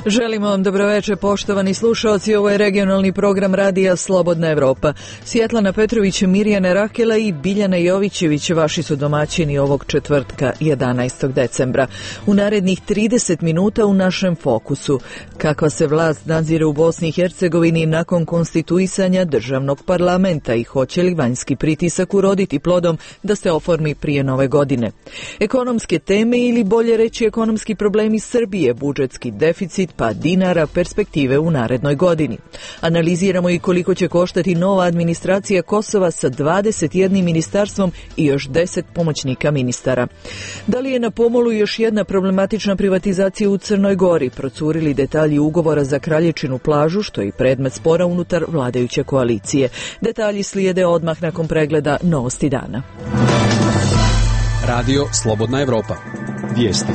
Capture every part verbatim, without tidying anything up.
Želimo vam dobroveče, poštovani slušalci. Ovo je regionalni program radija Slobodna Evropa. Svjetlana Petrović, Mirjana Rakela i Biljana Jovićević vaši su domaćini ovog četvrtka jedanaestog decembra. U narednih trideset minuta u našem fokusu. Kakva se vlast nadzire u Bosni i Hercegovini nakon konstituisanja državnog parlamenta i hoće li vanjski pritisak uroditi plodom da se oformi prije nove godine. Ekonomske teme ili bolje reći ekonomski problemi Srbije, budžetski deficit, pa dinara, perspektive u narednoj godini. Analiziramo i koliko će koštati nova administracija Kosova sa dvadeset jednim ministarstvom i još deset pomoćnika ministara. Da li je na pomolu još jedna problematična privatizacija u Crnoj Gori? Procurili detalji ugovora za Kralječinu plažu, što je i predmet spora unutar vladajuće koalicije. Detalji slijede odmah nakon pregleda Novosti dana. Radio Slobodna Evropa. Vijesti.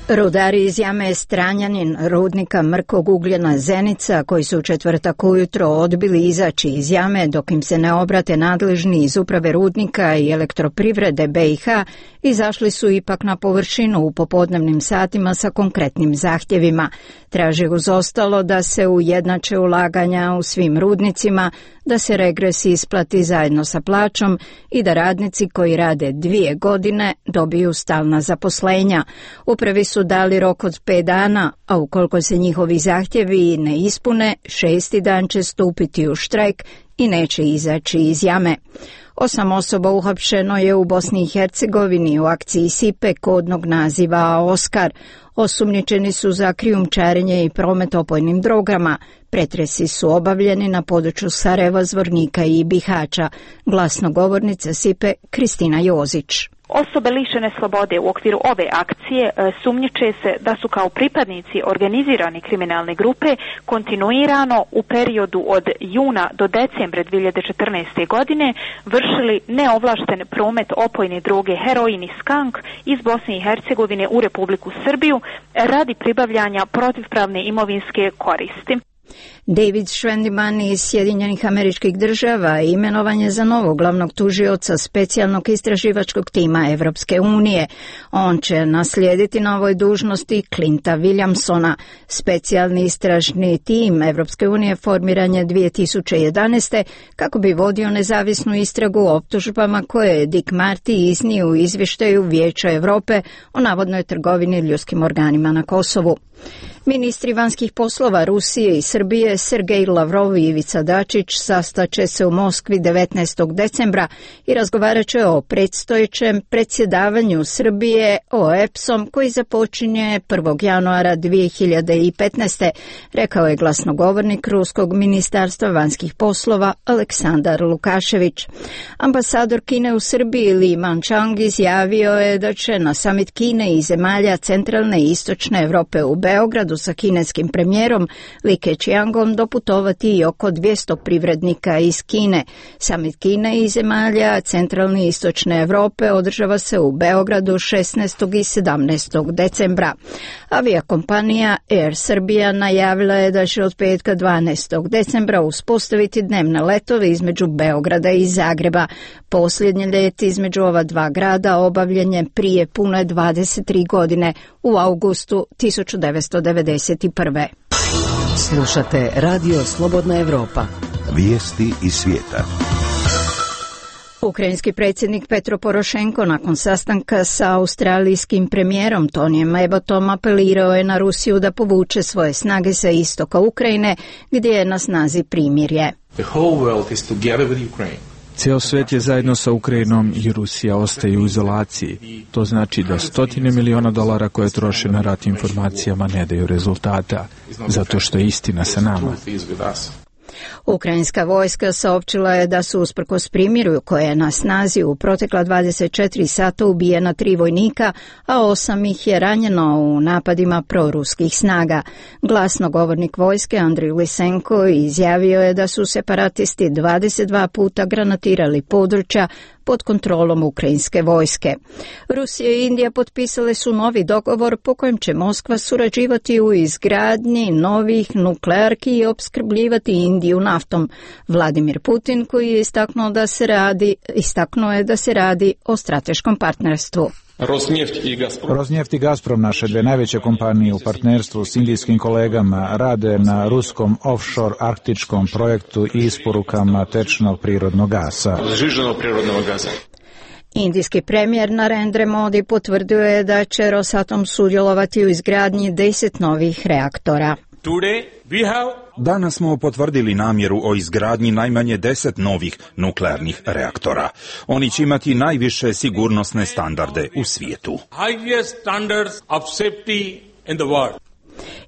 Rudari iz jame Stranjanin rudnika mrkog ugljena Zenica, koji su u četvrtak ujutro odbili izaći iz jame dok im se ne obrate nadležni iz uprave rudnika i elektroprivrede B i H, izašli su ipak na površinu u popodnevnim satima sa konkretnim zahtjevima. Traže uz ostalo da se ujednače ulaganja u svim rudnicima, da se regres isplati zajedno sa plaćom i da radnici koji rade dvije godine dobiju stalna zaposlenja. Upravi su dali rok od pet dana, a ukoliko se njihovi zahtjevi ne ispune, šesti dan će stupiti u štrajk i neće izaći iz jame. Osam osoba uhapšeno je u Bosni i Hercegovini u akciji Sipe kodnog naziva Oskar. Osumnjičeni su za krijumčarenje i promet opojnim drogama. Pretresi su obavljeni na području Sarajeva, Zvornika i Bihaća. Glasnogovornica Sipe Kristina Jozić. Osobe lišene slobode u okviru ove akcije sumnjiče se da su kao pripadnici organizirane kriminalne grupe kontinuirano u periodu od juna do decembra dvije hiljade četrnaeste. godine vršili neovlašten promet opojne droge heroin i skank iz Bosne i Hercegovine u Republiku Srbiju radi pribavljanja protivpravne imovinske koristi. David Schwendiman iz Sjedinjenih Američkih Država imenovan je za novog glavnog tužioca specijalnog istraživačkog tima Evropske unije. On će naslijediti na ovoj dužnosti Clinta Williamsona. Specijalni istražni tim Evropske unije formiran je dvije tisuće jedanaeste. kako bi vodio nezavisnu istragu o optužbama koje je Dick Marty iznio u izvještaju Vijeća Europe o navodnoj trgovini ljudskim organima na Kosovu. Ministri vanjskih poslova Rusije i Srbije Sergej Lavrov i Ivica Dačić sastaće se u Moskvi devetnaestog decembra i razgovarat će o predstojećem predsjedavanju Srbije O E P S-om koji započinje prvog januara dvije hiljade petnaeste. rekao je glasnogovornik Ruskog ministarstva vanjskih poslova Aleksandar Lukašević. Ambasador Kine u Srbiji Li Manchang izjavio je da će na samit Kine i zemalja centralne i istočne Europe u Beogradu sa kineskim premijerom Li Keqiangom doputovati i oko dvjesto privrednika iz Kine. Samit Kine i zemalja centralne i istočne Europe održava se u Beogradu šesnaestog i sedamnaestog decembra. Avijakompanija Air Serbia najavila je da će od petka dvanaestog decembra uspostaviti dnevne letove između Beograda i Zagreba. Posljednji let između ova dva grada obavljen je prije pune dvadeset tri godine u augustu tisuću devetsto devedeset prve. Slušate Radio Slobodna Evropa. Vijesti iz svijeta. Ukrajinski predsjednik Petro Porošenko nakon sastanka sa australijskim premijerom Tonijem Abbotom apelirao je na Rusiju da povuče svoje snage sa istoka Ukrajine gdje je na snazi primirje. The whole world is together with Ukraine. Cijel svijet je zajedno sa Ukrajinom i Rusija ostaje u izolaciji. To znači da stotine miliona dolara koje troše na rat informacijama ne daju rezultata, zato što je istina sa nama. Ukrajinska vojska saopćila je da su usprkos primiru koje je na snazi u protekla dvadeset četiri sata ubijena tri vojnika, a osam ih je ranjeno u napadima proruskih snaga. Glasnogovornik vojske Andriy Lysenko izjavio je da su separatisti dvadeset dva puta granatirali područja pod kontrolom ukrajinske vojske. Rusija i Indija potpisale su novi dogovor po kojem će Moskva surađivati u izgradnji novih nuklearki i opskrbljivati Indiju naftom. Vladimir Putin, koji je istaknuo da se radi, istaknuo je da se radi o strateškom partnerstvu. Rosneft i Gazprom. Rosneft i Gazprom, naše dve najveće kompanije u partnerstvu s indijskim kolegama, rade na ruskom offshore arktičkom projektu i isporukama tečnog prirodnog gasa. Žižanog prirodnog gasa. Indijski premijer Narendra Modi potvrdio je da će Rosatom sudjelovati u izgradnji deset novih reaktora. Danas smo potvrdili namjeru o izgradnji najmanje deset novih nuklearnih reaktora. Oni će imati najviše sigurnosne standarde u svijetu.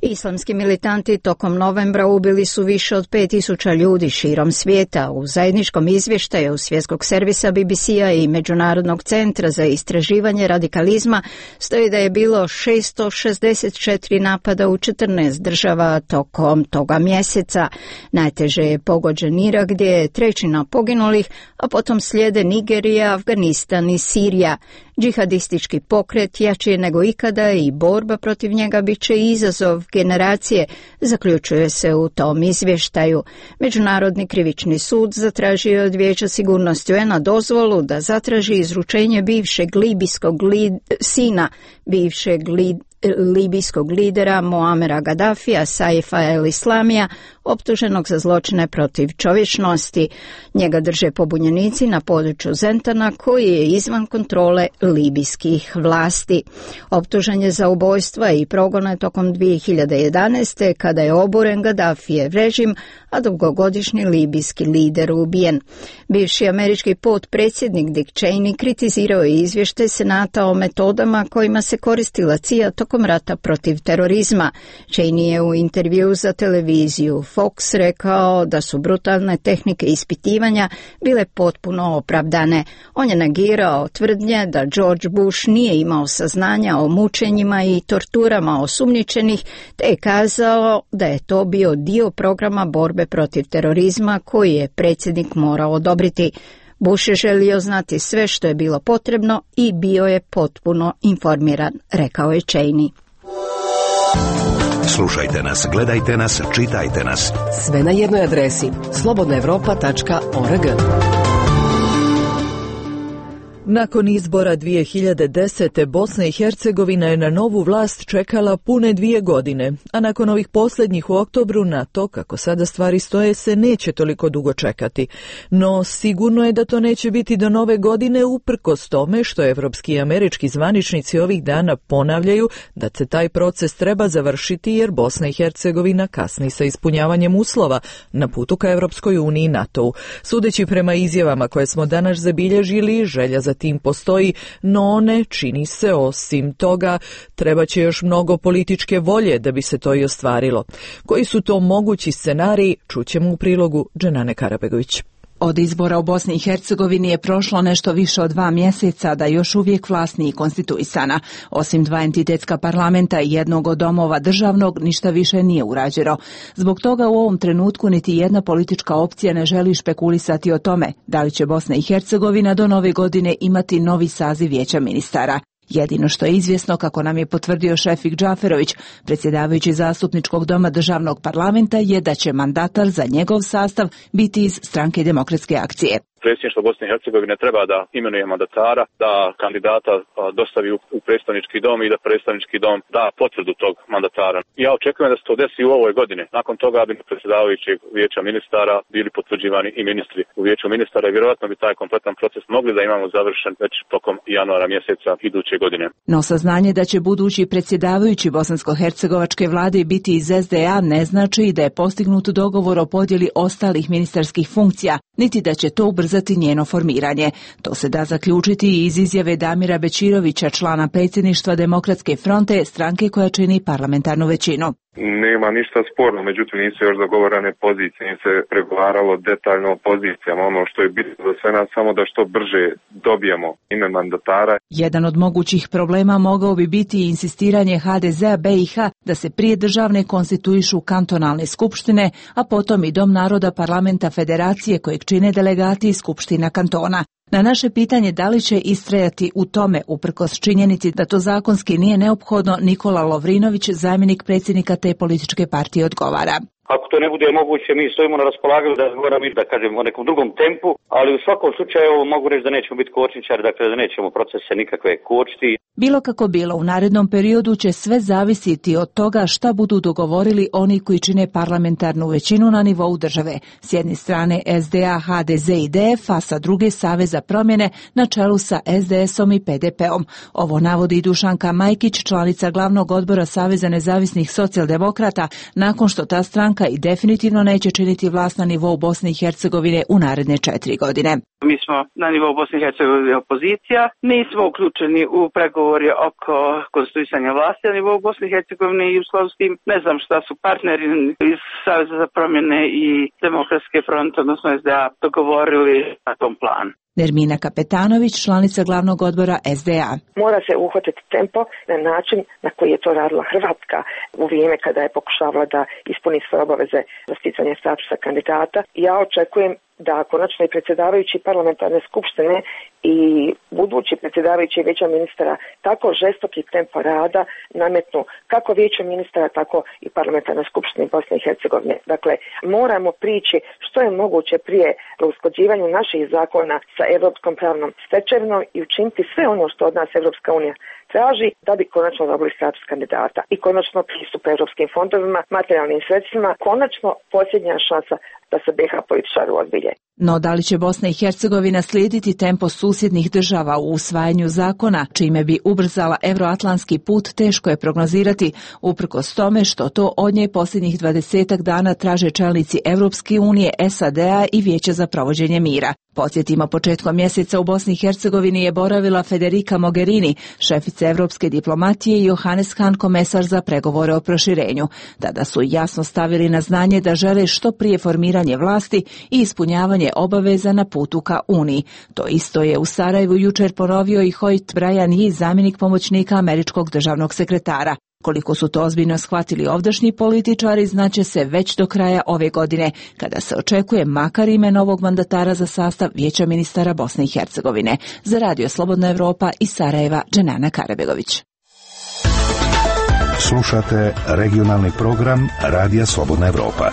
Islamski militanti tokom novembra ubili su više od pet tisuća ljudi širom svijeta. U zajedničkom izvještaju Svjetskog servisa B B C-a i Međunarodnog centra za istraživanje radikalizma stoji da je bilo šesto šezdeset četiri napada u četrnaest država tokom toga mjeseca. Najteže je pogođen Irak gdje je trećina poginulih, a potom slijede Nigerija, Afganistan i Sirija. Džihadistički pokret jači je nego ikada i borba protiv njega bit će izazov generacije, zaključuje se u tom izvještaju. Međunarodni krivični sud zatražio od Vijeća sigurnosti U N A dozvolu da zatraži izručenje bivšeg libijskog lid, sina bivšeg lid, libijskog lidera Muamera Gaddafija, Saifa el-Islamija, optuženog za zločine protiv čovječnosti. Njega drže pobunjenici na području Zentana koji je izvan kontrole libijskih vlasti. Optužen je za ubojstva i progone tokom dvije hiljade jedanaeste kada je oboren Gaddafijev režim, a dugogodišnji libijski lider ubijen. Bivši američki potpredsjednik Dick Cheney kritizirao je izvještaj Senata o metodama kojima se koristila C I A tokom rata protiv terorizma. Cheney je u intervju za televiziju Fox rekao da su brutalne tehnike ispitivanja bile potpuno opravdane. On je negirao tvrdnje da George Bush nije imao saznanja o mučenjima i torturama osumnjičenih, te je kazao da je to bio dio programa borbe protiv terorizma koji je predsjednik morao odobriti. Bush je želio znati sve što je bilo potrebno i bio je potpuno informiran, rekao je Cheney. Slušajte nas, gledajte nas, čitajte nas. Sve na jednoj adresi slobodna evropa tačka org. Nakon izbora dvije hiljade desete. Bosna i Hercegovina je na novu vlast čekala pune dvije godine, a nakon ovih posljednjih u oktobru na to, kako sada stvari stoje, se neće toliko dugo čekati. No sigurno je da to neće biti do nove godine, uprkos tome što evropski i američki zvaničnici ovih dana ponavljaju da se taj proces treba završiti jer Bosna i Hercegovina kasni sa ispunjavanjem uslova na putu ka Evropskoj uniji i NATO-u. Sudeći prema izjavama koje smo danas zabilježili, želja za tim postoji, no one, čini se, osim toga, treba će još mnogo političke volje da bi se to i ostvarilo. Koji su to mogući scenariji, čućemo u prilogu Dženane Karabegović. Od izbora u Bosni i Hercegovini je prošlo nešto više od dva mjeseca, da još uvijek vlast nije konstituisana. Osim dva entitetska parlamenta i jednog od domova državnog, ništa više nije urađeno. Zbog toga u ovom trenutku niti jedna politička opcija ne želi špekulisati o tome da li će Bosna i Hercegovina do nove godine imati novi saziv Vijeća ministara. Jedino što je izvjesno, kako nam je potvrdio Šefik Džaferović, predsjedavajući zastupničkog doma državnog parlamenta, je da će mandatar za njegov sastav biti iz Stranke demokratske akcije. Predsjedništvo Bosne i Hercegovine treba da imenuje mandatara, da kandidata dostavi u predstavnički dom i da predstavnički dom da potvrdu tog mandatara. Ja očekujem da se to desi u ovoj godini. Nakon toga bi predsjedavajućeg Vijeća ministara bili potvrđivani i ministri u Vijeću ministara i vjerojatno bi taj kompletan proces mogli da imamo završen već tokom januara mjeseca iduće godine. No saznanje da će budući predsjedavajući bosansko-hercegovačke vlade biti iz S D A ne znači da je postignut dogovor o podjeli ostalih ministarskih funkcija, niti da će to ubrzati njeno formiranje. To se da zaključiti i iz izjave Damira Bećirovića, člana predsjedništva Demokratske fronte, stranke koja čini parlamentarnu većinu. Nema ništa sporno, međutim nisu još dogovorene pozicije, nije se pregovaralo detaljno o pozicijama. Ono što je bitno za sve nas samo da što brže dobijemo ime mandatara. Jedan od mogućih problema mogao bi biti insistiranje H D Z-a B i H da se prije državne konstituišu kantonalne skupštine, a potom i Dom naroda parlamenta federacije kojeg čine delegati iz skupština kantona. Na naše pitanje da li će istrajati u tome, uprkos činjenici da to zakonski nije neophodno, Nikola Lovrinović, zamjenik predsjednika te političke partije, odgovara. Ako to ne bude moguće, mi stojimo na raspolaganju da razgovaramo i da kažemo o nekom drugom tempu, ali u svakom slučaju mogu reći da nećemo biti kočničari, dakle da nećemo procese nikakve kočiti. Bilo kako bilo, u narednom periodu će sve zavisiti od toga šta budu dogovorili oni koji čine parlamentarnu većinu na nivou države. S jedne strane S D A, H D Z i D F, a sa druge Savez za promjene na čelu sa S D S-om i P D P-om. Ovo navodi Dušanka Majkić, članica glavnog odbora Saveza nezavisnih socijaldemokrata, nakon što ta stranka i definitivno neće činiti vlast na nivou Bosne i Hercegovine u naredne četiri godine. Mi smo na nivou Bosne i Hercegovine opozicija, nismo uključeni u pregovore oko konstituisanja vlasti na nivou Bosne i Hercegovine i u skladu s tim ne znam šta su partneri iz Saveza za promjene i Demokratske fronte, odnosno S D A, dogovorili na tom planu. Nermina Kapetanović, članica glavnog odbora S D A. Mora se uhvatiti tempo na način na koji je to radila Hrvatska u vrijeme kada je pokušavala da ispuni svoje obaveze za sticanje statusa kandidata. Ja očekujem da konačno i predsjedavajući parlamentarne skupštine i budući predsjedavajući vijeća ministara tako žestoki tempo rada nametnu kako vijeću ministara, tako i parlamentarne skupštine Bosne i Hercegovine. Dakle, moramo prići što je moguće prije u usklađivanju naših zakona sa europskom pravnom stečevinom i učiniti sve ono što od nas Europska unija traži da bi konačno dobili status kandidata i konačno pristup europskim fondovima, materijalnim sredstvima, konačno posljednja šansa da se B iH političari ozbilje. No da li će Bosna i Hercegovina slijediti tempo susjednih država u usvajanju zakona, čime bi ubrzala euroatlantski put, teško je prognozirati, uprkos tome što to od nje posljednjih dvadesetak dana traže čelnici Europske unije, S A D A i Vijeća za provođenje mira. Podsjetimo, početkom mjeseca u Bosni i Hercegovini je boravila Federica Mogherini, šefica europske diplomatije, i Johannes Hahn, komesar za pregovore o proširenju. Tada su jasno stavili na znanje da žele što prije formiranje vlasti i ispunjavanje obaveza na putu ka Uniji. To isto je u Sarajevu jučer ponovio i Hoyt Bryan, zamjenik pomoćnika američkog državnog sekretara. Koliko su to ozbiljno shvatili ovdašnji političari, znaće se već do kraja ove godine, kada se očekuje makar ime novog mandatara za sastav Vijeća ministara Bosne i Hercegovine. Za Radio Slobodna Evropa iz Sarajeva, Dženana Karabegović. Slušate regionalni program Radija Slobodna Evropa.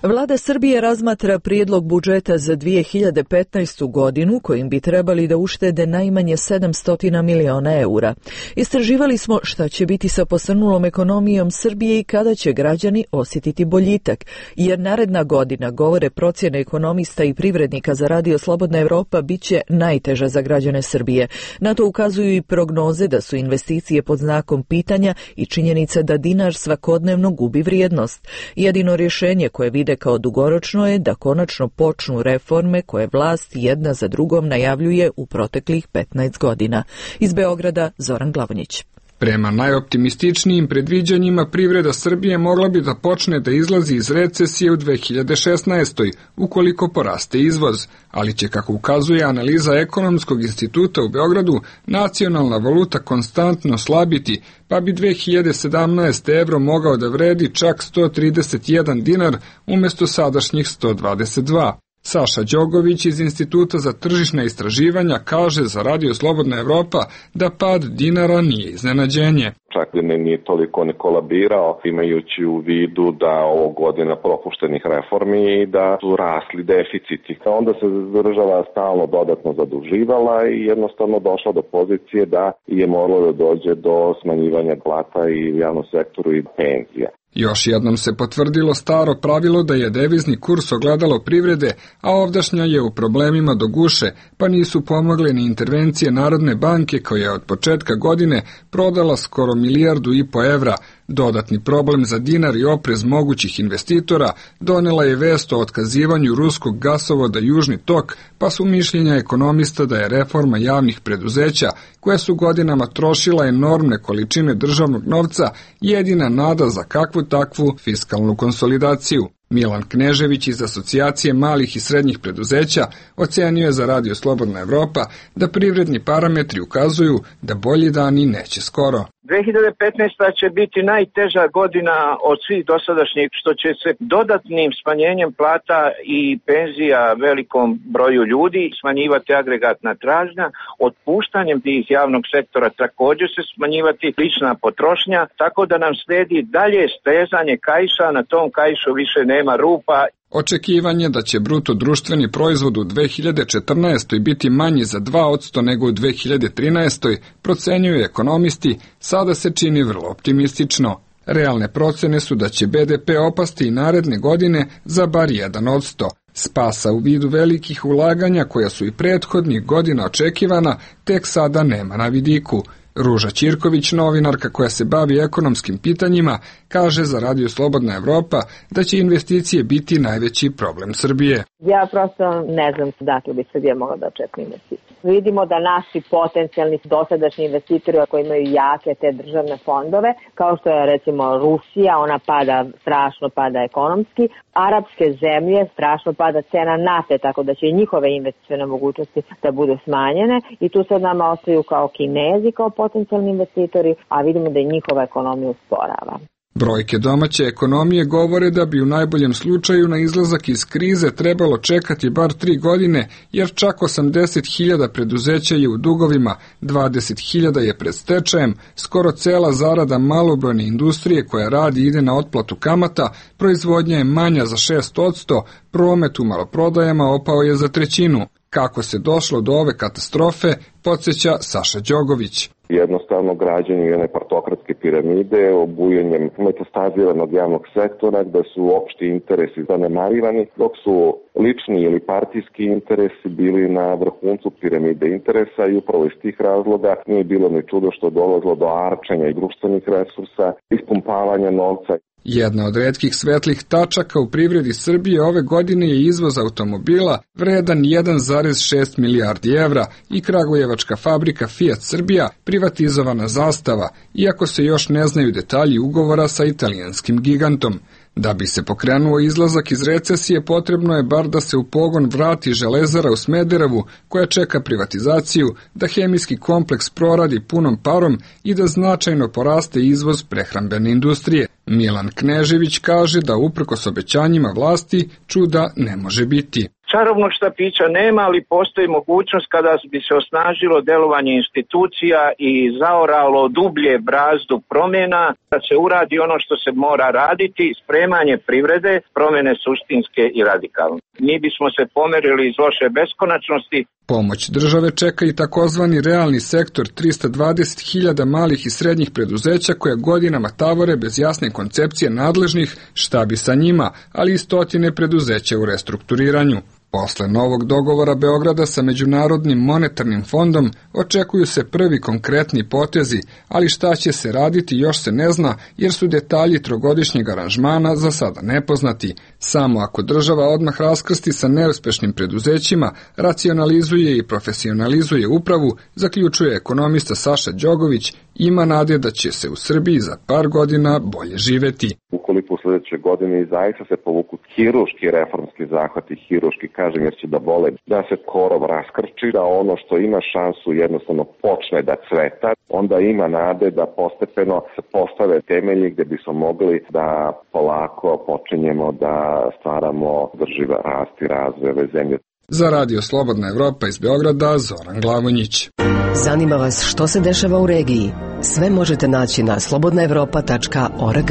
Vlada Srbije razmatra prijedlog budžeta za dvije hiljade petnaestu. godinu kojim bi trebali da uštede najmanje sedamsto miliona eura. Istraživali smo šta će biti sa posrnulom ekonomijom Srbije i kada će građani osjetiti boljitak, jer naredna godina, govore procjene ekonomista i privrednika za Radio Slobodna Evropa, bit će najteža za građane Srbije. Na to ukazuju i prognoze da su investicije pod znakom pitanja i činjenica da dinar svakodnevno gubi vrijednost. Jedino rješenje koje vide kao dugoročno je da konačno počnu reforme koje vlast jedna za drugom najavljuje u proteklih petnaest godina. Iz Beograda, Zoran Glavonjić. Prema najoptimističnijim predviđanjima, privreda Srbije mogla bi da počne da izlazi iz recesije u dve hiljade šesnaestoj. ukoliko poraste izvoz, ali će, kako ukazuje analiza Ekonomskog instituta u Beogradu, nacionalna valuta konstantno slabiti, pa bi dve hiljade sedamnaeste. evro mogao da vredi čak sto trideset jedan dinar umjesto sadašnjih sto dvadeset dva. Saša Đogović iz Instituta za tržišna istraživanja kaže za Radio Slobodna Evropa da pad dinara nije iznenađenje. Čak ne nije toliko ne kolabirao, imajući u vidu da ovo godina propuštenih reformi i da su rasli deficiti. Onda se država stalno dodatno zaduživala i jednostavno došla do pozicije da je moralo da dođe do smanjivanja plata i u javnom sektoru i penzija. Još jednom se potvrdilo staro pravilo da je devizni kurs ogledalo privrede, a ovdašnja je u problemima do guše, pa nisu pomogle ni intervencije Narodne banke koja je od početka godine prodala skoro milijardu i po evra. Dodatni problem za dinar i oprez mogućih investitora donela je vest o otkazivanju ruskog gasovoda Južni tok, pa su mišljenja ekonomista da je reforma javnih preduzeća, koje su godinama trošila enormne količine državnog novca, jedina nada za kakvu takvu fiskalnu konsolidaciju. Milan Knežević iz Asocijacije malih i srednjih preduzeća ocenio je za Radio Slobodna Evropa da privredni parametri ukazuju da bolji dani neće skoro. dve hiljade petnaesta. će biti najteža godina od svih dosadašnjih, što će se dodatnim smanjenjem plata i penzija velikom broju ljudi smanjivati agregatna tražnja, otpuštanjem tih javnog sektora također se smanjivati lična potrošnja, tako da nam slijedi dalje stezanje kaiša, na tom kaišu više nema rupa. Očekivanje da će bruto društveni proizvod u dve hiljade četrnaestoj. biti manji za dva posto nego u dve hiljade trinaestoj. procenjuju ekonomisti, sada se čini vrlo optimistično. Realne procene su da će be de pe opasti i naredne godine za bar jedan posto. Spasa u vidu velikih ulaganja koja su i prethodnih godina očekivana tek sada nema na vidiku. Ruža Ćirković, novinarka koja se bavi ekonomskim pitanjima, kaže za Radio Slobodna Evropa da će investicije biti najveći problem Srbije. Ja prosto ne znam dakle bi Srbija mogla da očekuje investicije. Vidimo da naši potencijalni dosadašnji investitori koji imaju jake te državne fondove, kao što je recimo Rusija, ona pada, strašno pada ekonomski, arapske zemlje, strašno pada cena nafte, tako da će i njihove investicione mogućnosti da budu smanjene i tu sad nama ostaju kao Kinezi, kao potencijalni investitori, a vidimo da i njihova ekonomija usporava. Brojke domaće ekonomije govore da bi u najboljem slučaju na izlazak iz krize trebalo čekati bar tri godine, jer čak osamdeset hiljada preduzeća je u dugovima, dvadeset hiljada je pred stečajem, skoro cela zarada malobrojne industrije koja radi i ide na otplatu kamata, proizvodnja je manja za šest posto, promet u maloprodajama opao je za trećinu. Kako se došlo do ove katastrofe, podsjeća Saša Đogović. Jednostavno građenje jedne partokratske piramide, obujanjem metastaziranog javnog sektora gde su opšti interesi zanemarivani, dok su lični ili partijski interesi bili na vrhuncu piramide interesa i upravo iz tih razloga nije bilo ni čudo što je dolazilo do arčenja i društvenih resursa, ispumpavanja novca. Jedna od retkih svetlih tačaka u privredi Srbije ove godine je izvoz automobila vredan jedan zarez šest milijardi evra i kragujevačka fabrika Fiat Srbija privatizovana Zastava, iako se još ne znaju detalji ugovora sa italijanskim gigantom. Da bi se pokrenuo izlazak iz recesije, potrebno je bar da se u pogon vrati Železara u Smederevu, koja čeka privatizaciju, da hemijski kompleks proradi punom parom i da značajno poraste izvoz prehrambene industrije. Milan Knežević kaže da uprkos obećanjima vlasti čuda ne može biti. Čarobnog štapića nema, ali postoji mogućnost kada bi se osnažilo delovanje institucija i zaoralo dublje brazdu promjena, da se uradi ono što se mora raditi, spremanje privrede, promjene suštinske i radikalne. Mi bismo se pomerili iz loše beskonačnosti. Pomoć države čeka i takozvani realni sektor, trista dvadeset hiljada malih i srednjih preduzeća koja godinama tavore bez jasne koncepcije nadležnih šta bi sa njima, ali i stotine preduzeća u restrukturiranju. Posle novog dogovora Beograda sa Međunarodnim monetarnim fondom očekuju se prvi konkretni potezi, ali šta će se raditi još se ne zna jer su detalji trogodišnjeg aranžmana za sada nepoznati. Samo ako država odmah raskrsti sa neuspešnim preduzećima, racionalizuje i profesionalizuje upravu, zaključuje ekonomista Saša Đogović, ima nade da će se u Srbiji za par godina bolje živeti. Ukoliko u sljedećoj godini zaista se povuku hiruški reformski zahvati, hiruški kažem jer će da bole, da se korov raskrči, da ono što ima šansu jednostavno počne da cveta, onda ima nade da postepeno se postave temelji gde bismo mogli da polako počinjemo da stvaramo drživa rast i razvoj ove zemlje. Za Radio Slobodna Evropa iz Beograda, Zoran Glavonjić. Zanima vas što se dešava u regiji? Sve možete naći na slobodna evropa tačka org.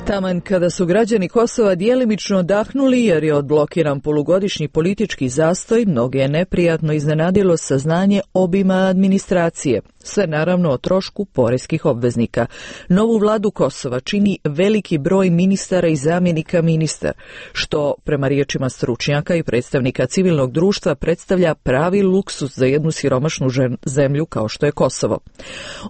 Taman kada su građani Kosova djelimično odahnuli jer je odblokiran polugodišnji politički zastoj, mnoge je neprijatno iznenadilo saznanje obima administracije. Sve naravno o trošku poreskih obveznika. Novu vladu Kosova čini veliki broj ministara i zamjenika ministara, što prema riječima stručnjaka i predstavnika civilnog društva predstavlja pravi luksus za jednu siromašnu zemlju kao što je Kosovo.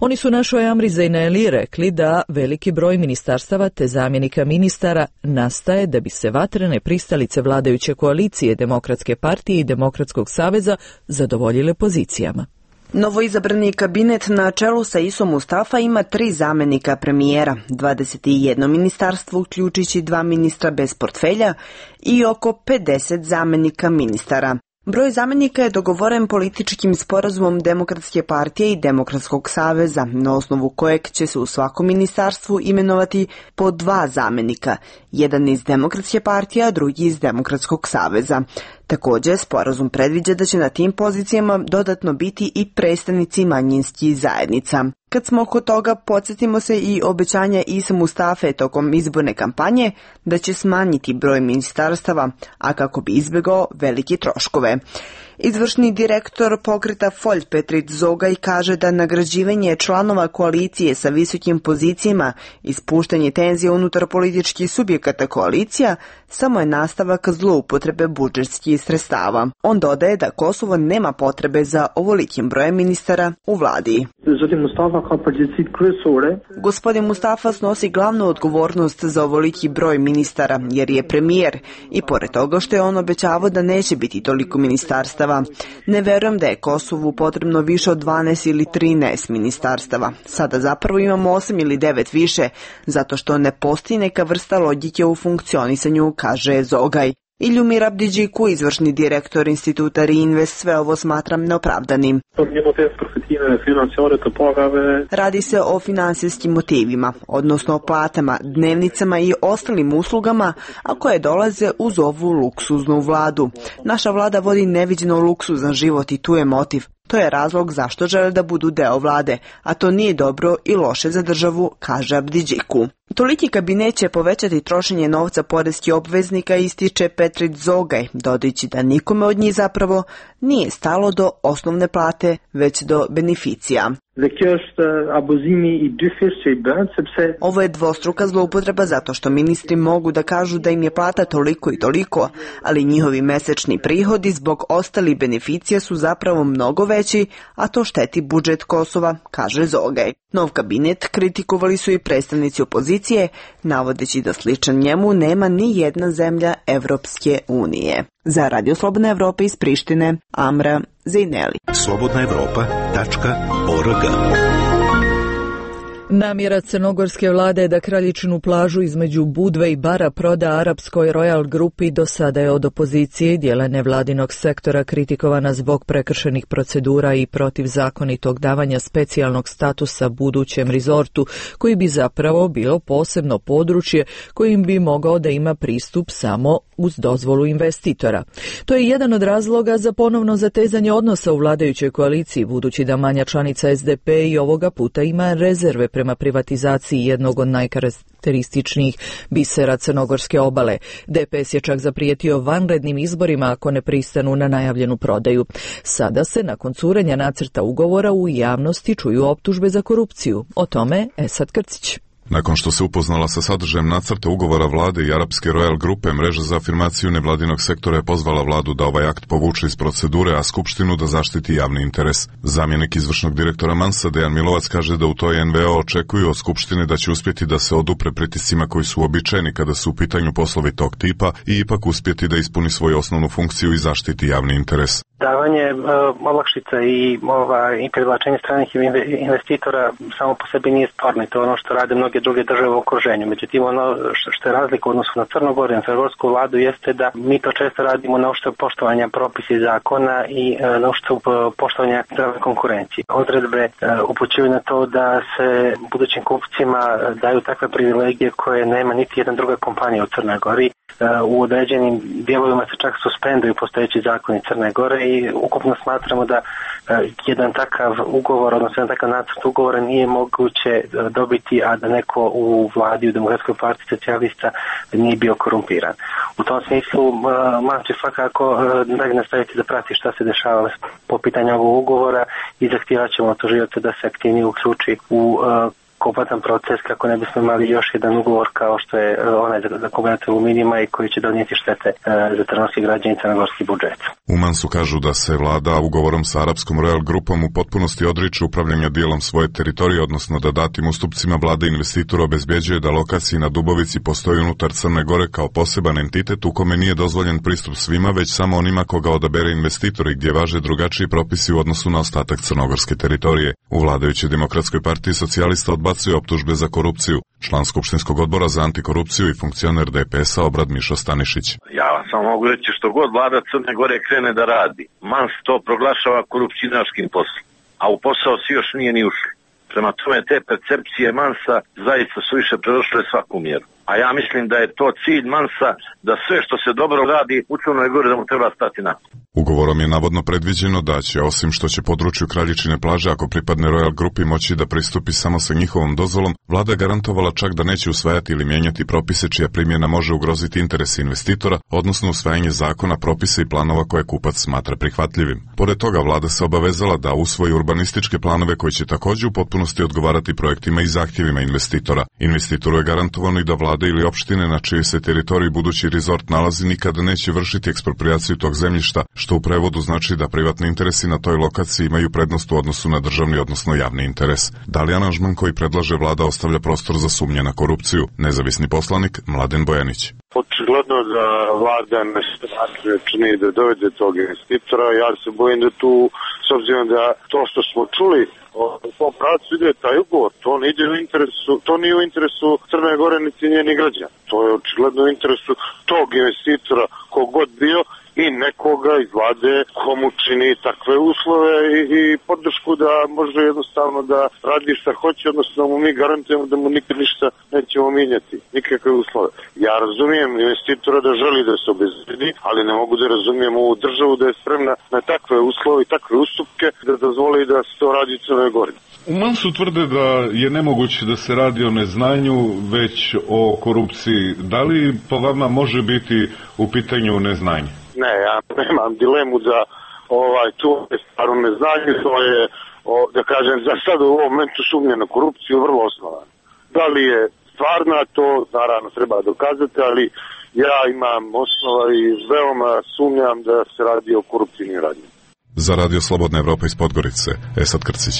Oni su našoj Amri Zejneli rekli da veliki broj ministarstava te zamjenika ministara nastaje da bi se vatrene pristalice vladajuće koalicije Demokratske partije i Demokratskog saveza zadovoljile pozicijama. Novoizabrani kabinet na čelu sa Isom Mustafa ima tri zamjenika premijera, dvadeset jedno ministarstvo uključujući dva ministra bez portfelja i oko pedeset zamjenika ministara. Broj zamjenika je dogovoren političkim sporazumom Demokratske partije i Demokratskog saveza, na osnovu kojeg će se u svakom ministarstvu imenovati po dva zamjenika, jedan iz Demokratske partije, a drugi iz Demokratskog saveza. Također, sporazum predviđa da će na tim pozicijama dodatno biti i predstavnici manjinskih zajednica. Kad smo oko toga, podsjetimo se i obećanja Isa Mustafe tokom izborne kampanje da će smanjiti broj ministarstava, a kako bi izbjegao velike troškove. Izvršni direktor pokreta Folj Petrit Zogaj kaže da nagrađivanje članova koalicije sa visokim pozicijama i spuštanje tenzija unutar političkih subjekata koalicija samo je nastavak zloupotrebe budžetskih sredstava. On dodaje da Kosovo nema potrebe za ovolikim brojem ministara u vladi. Gospodin Mustafa snosi glavnu odgovornost za ovoliki broj ministara jer je premijer i pored toga što je on obećavao da neće biti toliko ministarstava. Ne verujem da je Kosovu potrebno više od dvanaest ili trinaest ministarstava. Sada zapravo imamo osam ili devet više, zato što ne postoji neka vrsta logike u funkcionisanju, kaže Zogaj. Iljumir Abdidžiku, izvršni direktor instituta Reinvest, sve ovo smatram neopravdanim. Radi se o finansijskim motivima, odnosno o platama, dnevnicama i ostalim uslugama, a koje dolaze uz ovu luksuznu vladu. Naša vlada vodi neviđeno luksuzan život i tu je motiv. To je razlog zašto žele da budu deo vlade, a to nije dobro i loše za državu, kaže Abdidžiku. Toliki kabinet će povećati trošenje novca poreskih obveznika, ističe Petrit Zogaj, dodajući da nikome od njih zapravo nije stalo do osnovne plate, već do beneficija. Ovo je dvostruka zloupotreba zato što ministri mogu da kažu da im je plata toliko i toliko, ali njihovi mesečni prihodi zbog ostalih beneficija su zapravo mnogo veći, a to šteti budžet Kosova, kaže Zogaj. Nov kabinet kritikovali su i predstavnici opozicije, navodeći da sličan njemu nema ni jedna zemlja Evropske unije. Za Radio Slobodna Evropa iz Prištine, Amra Zejneli. slobodna evropa tačka org. Namjera crnogorske vlade je da kraljičnu plažu između Budve i Bara proda arapskoj Royal grupi do sada je od opozicije i dijela nevladinog sektora kritikovana zbog prekršenih procedura i protivzakonitog davanja specijalnog statusa budućem rizortu, koji bi zapravo bilo posebno područje kojim bi mogao da ima pristup samo uz dozvolu investitora. To je jedan od razloga za ponovno zatezanje odnosa u vladajućoj koaliciji, budući da manja članica S D P i ovoga puta ima rezerve prema privatizaciji jednog od najkarakterističnijih bisera crnogorske obale. D P S je čak zaprijetio vanrednim izborima ako ne pristanu na najavljenu prodaju. Sada se nakon curenja nacrta ugovora u javnosti čuju optužbe za korupciju. O tome Esad Krcić. Nakon što se upoznala sa sadržajem nacrta ugovora vlade i arapske Royal grupe, mreža za afirmaciju nevladinog sektora je pozvala vladu da ovaj akt povuče iz procedure, a skupštinu da zaštiti javni interes. Zamjenik izvršnog direktora Mansa, Dejan Milovac, kaže da u toj N V O očekuju od skupštine da će uspjeti da se odupre pritiscima koji su uobičajeni kada su u pitanju poslovi tog tipa i ipak uspjeti da ispuni svoju osnovnu funkciju i zaštiti javni interes. Davanje uh, olakšica i ovaj, privlačenje stranih investitora samo po sebi nije sporno i to je ono što rade mnoge druge države u okruženju. Međutim, ono što je razlika u odnosu na Crnogoru i na crnogorsku vladu jeste da mi to često radimo na uštrb poštovanja propisa i zakona i uh, na uštrb poštovanja zdrave konkurencije. Odredbe uh, upućuju na to da se budućim kupcima daju takve privilegije koje nema niti jedna druga kompanija u Crnoj Gori. U određenim dijelovima se čak suspenduju postojeći zakoni Crne Gore i ukupno smatramo da jedan takav ugovor, odnosno jedan takav nacrt ugovora nije moguće dobiti, a da neko u vladi, u Demokratskoj partiji socijalista nije bio korumpiran. U tom smislu Mansa će svakako dalje nastaviti da prati šta se dešava po pitanju ovog ugovora i zahtijevat ćemo od tužioca da se aktivnije uključi u kompletan proces kako ne bismo imali još jedan ugovor kao što je onaj za kombinat aluminijuma i koji će donijeti štete za crnogorski građani i crnogorski budžet. U Mansu kažu da se vlada ugovorom sa arapskom Royal grupom u potpunosti odriče upravljanja dijelom svoje teritorije, odnosno da datim ustupcima vlada investitor obezbeđuje da lokaciji na Dubovici postoji unutar Crne Gore kao poseban entitet u kome nije dozvoljen pristup svima, već samo onima koga odabere investitor i gdje važe drugačiji propisi u odnosu na ostatak crnogorske teritorije. U vladajućoj Demokratskoj partiji socijalista odbacuje odbacuje optužbe za korupciju. Član Skupštinskog odbora za antikorupciju i funkcioner D P S-a Obrad Mišo Stanišić. Ja vam samo mogu reći što god vlada Crne Gore krene da radi. Mans to proglašava korupcionaškim poslom, a u posao svi još nije ni ušli. Prema tome te percepcije Mansa zaista su više predošle svaku mjeru. A ja mislim da je to cilj Mansa da sve što se dobro radi u Crnoj Gori da mu treba stati na. Ugovorom je navodno predviđeno da će, osim što će području Kraljičine plaže, ako pripadne Royal grupi, moći da pristupi samo sa njihovom dozvolom, vlada garantovala čak da neće usvajati ili mijenjati propise čija primjena može ugroziti interese investitora, odnosno usvajanje zakona, propisa i planova koje kupac smatra prihvatljivim. Pored toga, vlada se obavezala da usvoji urbanističke planove koji će također u potpunosti odgovarati projektima i zahtjevima investitora. Investitoru je garantovano i da vlada ili opštine na čijoj se teritoriji budući rezort nalazi nikada neće vršiti eksproprijaciju tog zemljišta, što u prevodu znači da privatni interesi na toj lokaciji imaju prednost u odnosu na državni, odnosno javni interes. Da li aranžman koji predlaže vlada ostavlja prostor za sumnje na korupciju? Nezavisni poslanik Mladen Bojanić. Očigledno da vlada ne čini da dovede tog investitora. Ja se bojim da tu, s obzirom da to što smo čuli o tom pravcu ide taj ugovor, to ne ide u interesu, to nije u interesu Crne Gore niti njenih građana. To je očigledno u interesu tog investitora kogod bio i nekoga iz vlade komu čini takve uslove i, i podršku da može jednostavno da radi šta hoće, odnosno mu mi garantujemo da mu nikad ništa nećemo mijenjati, nikakve uslove. Ja razumijem investitora da želi da se obezbedi, ali ne mogu da razumijem ovu državu da je spremna na takve uslove i takve ustupke da dozvoli da se to radi u Crnoj Gori. U Mansu tvrde da je nemoguće da se radi o neznanju, već o korupciji. Da li po vama može biti u pitanju neznanje? Ne, ja nemam dilemu da ovaj, to je stvarno neznanje, to je, o, da kažem, za sad u ovom momentu sumnja na korupciju vrlo osnovana. Da li je stvarna, to naravno treba dokazati, ali ja imam osnova i veoma sumnjam da se radi o koruptivnim radnjama. Za Radio Slobodna Evropa iz Podgorice, Esad Krcić.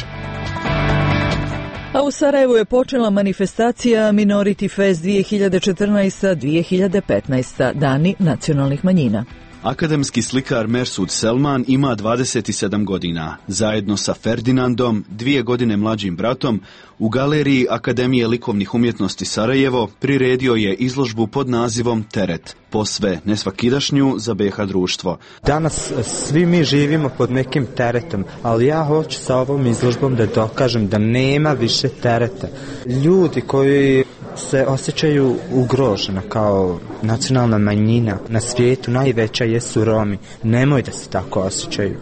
A u Sarajevu je počela manifestacija Minority Fest dvije hiljade četrnaesta do dvije hiljade petnaesta, Dani nacionalnih manjina. Akademski slikar Mersud Selman ima dvadeset sedam godina. Zajedno sa Ferdinandom, dvije godine mlađim bratom, u galeriji Akademije likovnih umjetnosti Sarajevo priredio je izložbu pod nazivom Teret, posve nesvakidašnju za B iH društvo. Danas svi mi živimo pod nekim teretom, ali ja hoću sa ovom izložbom da dokažem da nema više tereta. Ljudi koji se osjećaju ugroženo kao nacionalna manjina na svijetu, najveća jesu Romi. Nemoj da se tako osjećaju.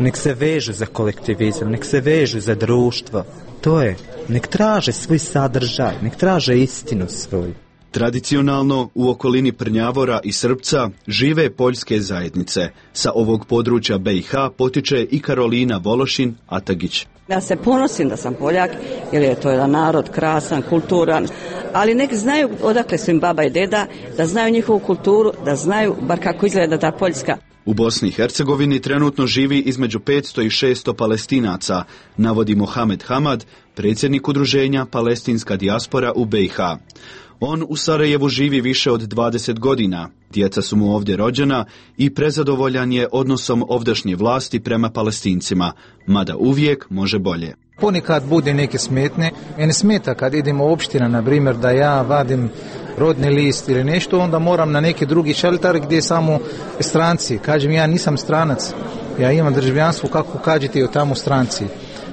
Nek se vežu za kolektivizam, nek se vežu za društvo. To je, nek traže svoj sadržaj, nek traže istinu svoju. Tradicionalno u okolini Prnjavora i Srpca žive poljske zajednice. Sa ovog područja B iH potiče i Karolina Vološin Atagić. Ja se ponosim da sam Poljak, jer je to jedan narod krasan, kulturan, ali nek znaju odakle su im baba i deda, da znaju njihovu kulturu, da znaju bar kako izgleda ta Poljska. U Bosni i Hercegovini trenutno živi između petsto i šesto Palestinaca, navodi Mohamed Hamad, predsjednik udruženja Palestinska dijaspora u B iH. On u Sarajevu živi više od dvadeset godina, djeca su mu ovdje rođena i prezadovoljan je odnosom ovdašnje vlasti prema Palestincima, mada uvijek može bolje. Ponekad bude neke smetne. Mene smeta kad idemo u opština, na primjer, da ja vadim rodni list ili nešto, onda moram na neki drugi šelter gdje samo stranci. Kažem, ja nisam stranac, ja imam državljanstvo, kako kažete tamo stranci.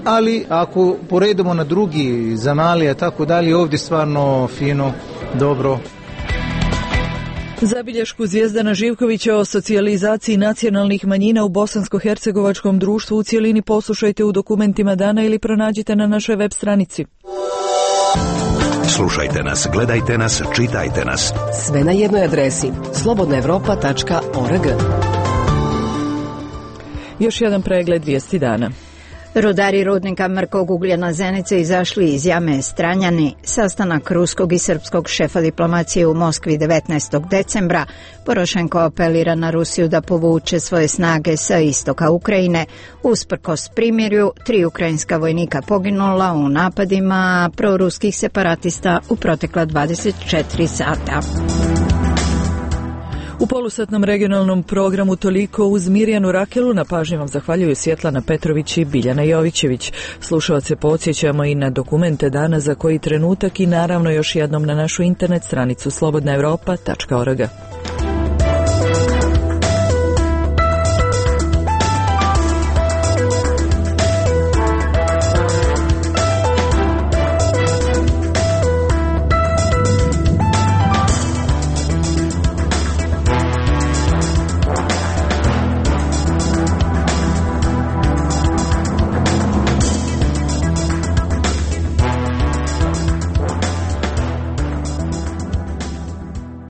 Ali ako poredimo na drugi zemalja, tako dalje, ovdje stvarno fino, dobro. Zabilješku Zvijezdana Živkovića o socijalizaciji nacionalnih manjina u bosansko-hercegovačkom društvu u cijelini poslušajte u dokumentima dana ili pronađite na našoj web stranici. Slušajte nas, gledajte nas, čitajte nas. Sve na jednoj adresi slobodna evropa tačka org. Još jedan pregled vijesti dana. Rudari rudnika mrkog ugljena Zenice izašli iz jame Stranjani. Sastanak ruskog i srpskog šefa diplomacije u Moskvi devetnaestog decembra. Porošenko apelira na Rusiju da povuče svoje snage sa istoka Ukrajine. Usprkos primirju, tri ukrajinska vojnika poginula u napadima proruskih separatista u protekla dvadeset četiri sata. U polusatnom regionalnom programu toliko uz Mirjanu Rakelu. Na pažnji vam zahvaljuju Svjetlana Petrović i Biljana Jovićević. Slušalce podsjećamo i na dokumente dana za koji trenutak i naravno još jednom na našu internet stranicu slobodna europa tačka org.